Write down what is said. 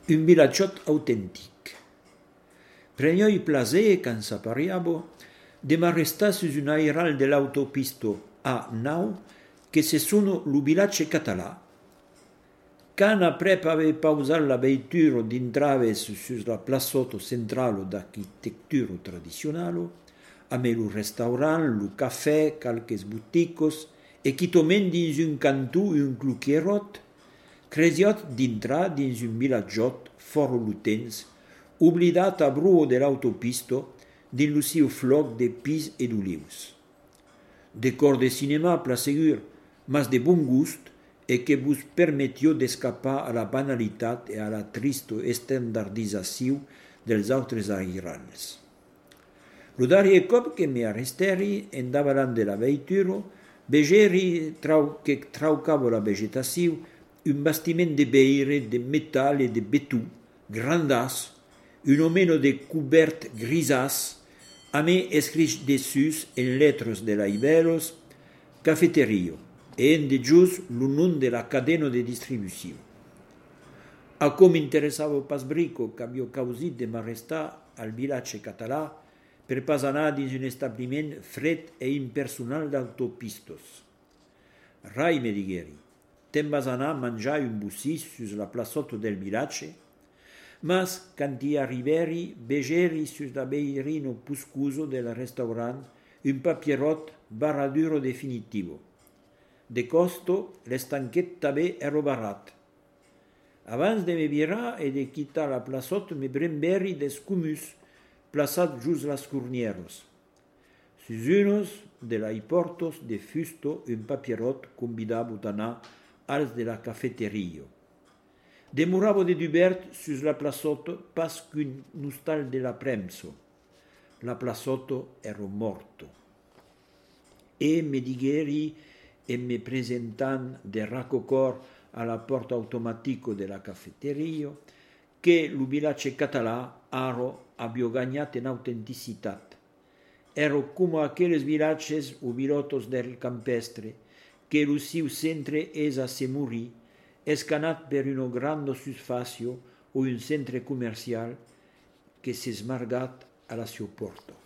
un villagiot autentic. Prenioi plaser, can s'appariabo, de m'arrestar sus un airal de l'autopisto A9, que se sono lo villace català. Can aprep ave pausat la veitura d'intraves sus la plaçoto centralo d'architectura tradizionalo, ame lo restaurant, lo cafè, calques buticos, e chitomen dins un cantù un cluquierot, cresiot d'intrar dins un villagiot foro lutens, oblidat a bruo de l'autopisto, din lo siu floc de pis e d'olius. Decor de cinema, plasegur, mas de bon gust, e que vos permettió d'escapar a la banalitat e a la tristo estandardizació dels autres airals. Lo darrier cop que me arresteri en davalant de la veitura, vegeri que traucavo la vegetació un bastiment de beire, de metal e de betú, grandàs, un omeno de cubert grisàs, a me escrit dessus en lettres de la Iberos, cafeterio, e en de gius lo nom de la cadena de distribució. A com interessava pas brico qu'avio causit de m'arrestar al villace català per pas anar dins un establiment fred e impersonal d'autopistos. Rai, me digueri, te'n vas anar a mangiar un bussis sus la plaçoto del villace, mas quand hi arriberi, vegeri sus la beirino puscuso del restaurant un papierot barraduro definitivo. De costo, l'estanquet també ero barat. Abans de me virar e de quitar la plaçot, me bremberi des cumus plaçat just las curnieros. Sus unos de la portos de fusto un papierot convidavo d'anar als de la cafeterio. Demoravo de dubert sus la plaçoto pas qu'un nostal de la premso. La plaçoto ero morto. E me digueri e me presentant de racocor a la porta automatico de la cafeteria, che lo villace català aro abbia gagnat en autenticitat. Ero come aquelles villaces o vilotos del campestre, che lo siu centre es a se morir, escanat per uno grande susfacio o un centre comercial che se smargat a la sua porta.